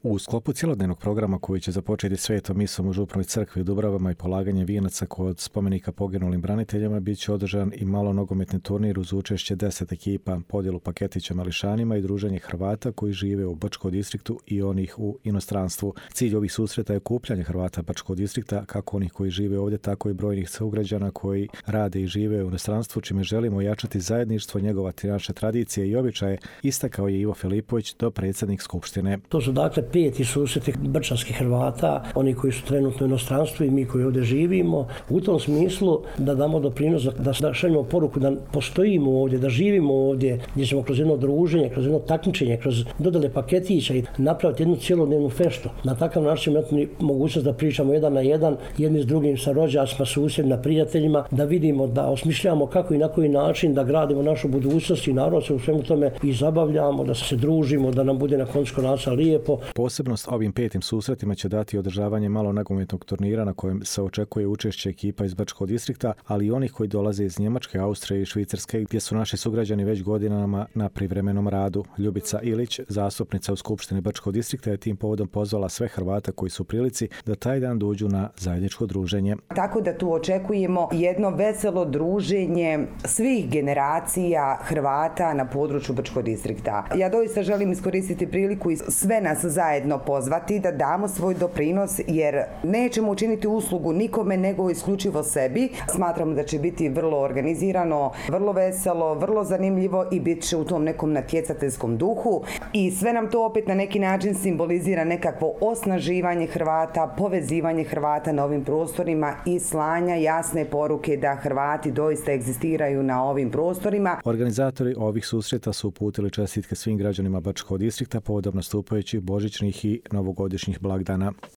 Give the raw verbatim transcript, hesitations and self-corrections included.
U sklopu cjelodnevnog programa koji će započeti svetom misom u Županoj crkvi u Dubravama i polaganje vijenaca kod spomenika poginulim braniteljima, bit će održan i malo nogometni turnir uz učešće deset ekipa, podjelu paketića mališanima i druženje Hrvata koji žive u Bačkom distriktu i onih u inostranstvu. Cilj ovih susreta je okupljanje Hrvata Bačkog distrikta, kako onih koji žive ovdje, tako i brojnih sugrađana koji rade i žive u inostranstvu, čime želimo ojačati zajedništvo, njegovati naše tradicije i običaje, istakao je Ivo Filipović, dopredsjednik Skupštine. To su dakle peti susreti brčanskih Hrvata, oni koji su trenutno u inostranstvu i mi koji ovdje živimo. U tom smislu da damo doprinos, da šaljemo poruku da postojimo ovdje, da živimo ovdje, gdje ćemo kroz jedno druženje, kroz jedno takmičenje, kroz dodale paketića i napraviti jednu cjelodnevnu feštu. Na takav način imati mogućnost da pričamo jedan na jedan, jedni s drugim, sa rođacima, susjedima, prijateljima, da vidimo, da osmišljamo kako i na koji način da gradimo našu budućnost i narod se u svemu tome i zabavljamo, da se družimo, da nam bude na koncu konaca lijepo. Posebnost ovim petim susretima će dati održavanje malo nogometnog turnira na kojem se očekuje učešće ekipa iz Bačkog distrikta, ali i onih koji dolaze iz Njemačke, Austrije i Švicarske, gdje su naši sugrađani već godinama na privremenom radu. Ljubica Ilić, zastupnica u Skupštini Bačkog distrikta, je tim povodom pozvala sve Hrvata koji su u prilici da taj dan dođu na zajedničko druženje. Tako da tu očekujemo jedno veselo druženje svih generacija Hrvata na području Bačkog distrikta. Ja doista želim iskoristiti priliku i sve nas zajedno pozvati da damo svoj doprinos, jer nećemo učiniti uslugu nikome nego isključivo sebi. Smatramo da će biti vrlo organizirano, vrlo veselo, vrlo zanimljivo i bit će u tom nekom natjecateljskom duhu i sve nam to opet na neki način simbolizira nekakvo osnaživanje Hrvata, povezivanje Hrvata na ovim prostorima i slanja jasne poruke da Hrvati doista egzistiraju na ovim prostorima. Organizatori ovih susreta su uputili čestitke svim građanima Bačkog distrikta povodom nastupajućih božićnih i novogodišnjih blagdana.